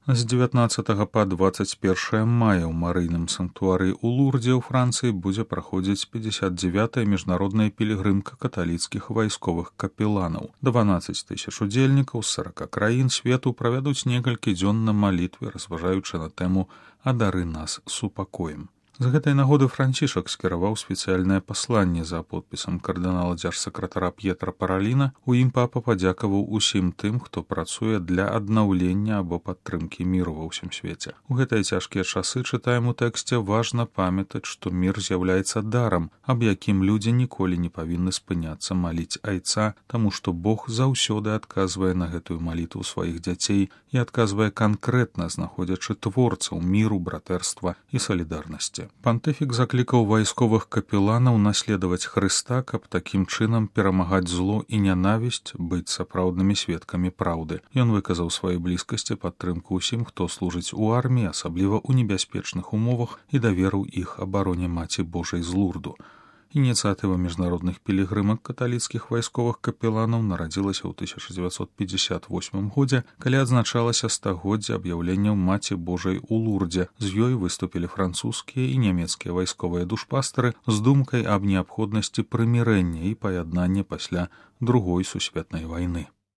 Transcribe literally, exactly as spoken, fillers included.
З дзевятнаццатага па дваццаць першае мая ў марыйным санктуары ў Лурдзе ў Францыі будзе праходзіць пятьдесят девятая міжнародная пілігрымка каталіцкіх вайсковых капеланаў. дванаццаць тысяч удзельнікаў з сорока краін свету правядуць некалькі дзён на малітве, разважаючы на тэму «Адары нас супакоем». З гэтай нагоды Францішак скіраваў спецыяльнае пасланне за подпісам кардынала дзяржсакратара П'етра Параліна. У ім папа падзякаваў усім тым, хто працуе для аднаўлення або падтрымкі міру ва ўсім свеце. У гэтыя цяжкія часы, чытаем у тэксце, важна памятаць, што мір з'яўляецца дарам, аб якім людзі ніколі не павінны спыняцца маліць айца, таму што Бог заўсёды адказвае на гэтую малітву сваіх дзяцей і адказвае канкрэтна, знаходзячы творцаў міру, братэрства і салідарнасці. Пантыфік заклікаў вайсковых капеланаў наследаваць Хрыста, каб такім чынам перамагаць зло і нянавісць, быць сапраўднымі сведкамі праўды. Ён выказаў сваёй блізкасці падтрымку ўсім, хто служыць у арміі, асабліва ў небяспечных умовах, і даверыў іх абароне Маці Божай з Лурду. Ініцыятыва міжнародных пілігрымак каталіцкіх вайсковых капеланаў нарадзілася ў тысяча дзевяцьсот пятьдесят восьмым годзе, калі адзначалася стагоддзе аб'яўленняў Маці Божай у Лурдзе. З ёй выступілі французскія і нямецкія вайсковыя душпастары з думкай аб неабходнасці прымірэння і паяднання пасля Другой сусветнай вайны.